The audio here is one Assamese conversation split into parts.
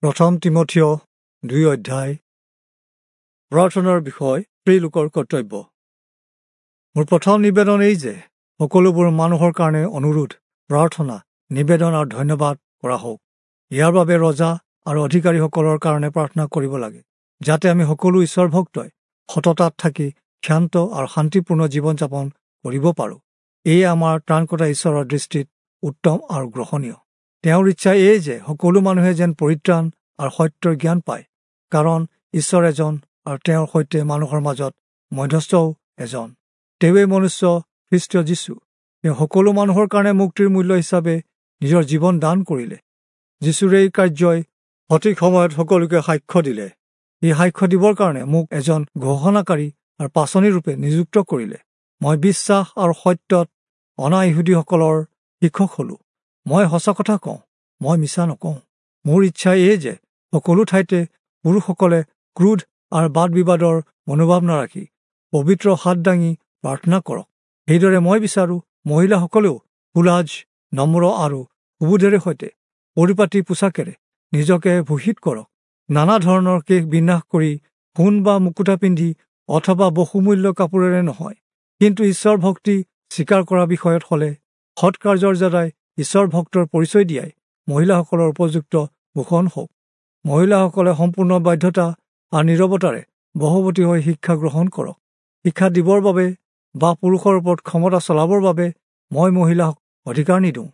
প্ৰথম তীমথিয় 2 অধ্যায়। প্ৰাৰ্থনাৰ বিষয় স্ত্ৰীলোকৰ কৰ্তব্য। মোৰ প্ৰথম নিবেদন এই যে সকলোবোৰ মানুহৰ কাৰণে অনুৰোধ, প্ৰাৰ্থনা, নিবেদন আৰু ধন্যবাদ কৰা হওক। ইয়াৰ বাবে ৰজা আৰু অধিকাৰীসকলৰ কাৰণে প্ৰাৰ্থনা কৰিব লাগে, যাতে আমি সকলো ঈশ্বৰ ভক্তই সততাত থাকি ক্ষান্ত আৰু শান্তিপূৰ্ণ জীৱন যাপন কৰিব পাৰোঁ। এয়ে আমাৰ ত্ৰাণকৰ্তা ঈশ্বৰৰ দৃষ্টিত উত্তম আৰু গ্ৰহণীয়। তেওঁৰ ইচ্ছা এই যে সকলো মানুহে যেন পৰিত্ৰাণ আৰু সত্যৰ জ্ঞান পায়, কাৰণ ঈশ্বৰ এজন আৰু তেওঁৰ সৈতে মানুহৰ মাজত মধ্যস্থও এজন, তেওঁৱেই মনুষ্য খ্ৰীষ্ট যীশু। তেওঁ সকলো মানুহৰ কাৰণে মুক্তিৰ মূল্য হিচাপে নিজৰ জীৱন দান কৰিলে। যীশুৰ এই কাৰ্যই সঠিক সময়ত সকলোকে সাক্ষ্য দিলে। এই সাক্ষ্য দিবৰ কাৰণে মোক এজন ঘোষণাকাৰী আৰু পাচনিৰূপে নিযুক্ত কৰিলে। মই বিশ্বাস আৰু সত্যত অনা ইহুদীসকলৰ শিক্ষক হলোঁ। মই সঁচা কথা কওঁ, মই মিছা নকওঁ। মোৰ ইচ্ছা এই যে সকলো ঠাইতে পুৰুষসকলে ক্ৰোধ আৰু বাদ বিবাদৰ মনোভাৱ নাৰাখি পবিত্ৰ হাত দাঙি প্ৰাৰ্থনা কৰক। সেইদৰে মই বিচাৰোঁ মহিলাসকলেও সুলাজ, নম্ৰ আৰু সুবোধেৰে সৈতে পৰিপাটি পোছাকেৰে নিজকে ভূষিত কৰক। নানা ধৰণৰ কেশ বিন্যাস কৰি সোণ বা মুকুতা পিন্ধি অথবা বহুমূল্য কাপোৰেৰে নহয়, কিন্তু ঈশ্বৰ ভক্তি স্বীকাৰ কৰা বিষয়ত হ'লে সৎকাৰ্যৰ দ্বাৰাই ঈশ্বৰ ভক্তৰ পৰিচয় দিয়াই মহিলাসকলৰ উপযুক্ত ভূষণ হওক। মহিলাসকলে সম্পূৰ্ণ বাধ্যতা আৰু নীৰৱতাৰে বশৱৰ্তী হৈ শিক্ষা গ্ৰহণ কৰক। শিক্ষা দিবৰ বাবে বা পুৰুষৰ ওপৰত ক্ষমতা চলাবৰ বাবে মই মহিলাক অধিকাৰ নিদিওঁ,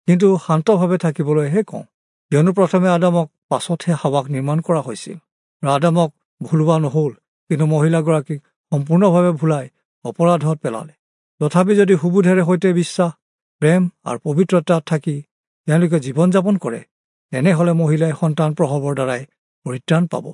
কিন্তু শান্তভাৱে থাকিবলৈহে কওঁ। কিয়নো প্ৰথমে আদামক, পাছতহে হাৱাক নিৰ্মাণ কৰা হৈছিল। আৰু আদামক ভুলোৱা নহ'ল, কিন্তু মহিলাগৰাকীক সম্পূৰ্ণভাৱে ভুলাই অপৰাধত পেলালে। তথাপি যদি সুবোধেৰে সৈতে বিশ্বাস, প্ৰেম আৰু পবিত্ৰতাত থাকি তেওঁলোকে জীৱন যাপন কৰে, তেনেহ'লে মহিলাই সন্তান প্ৰসৱৰ দ্বাৰাই পৰিত্ৰাণ পাব।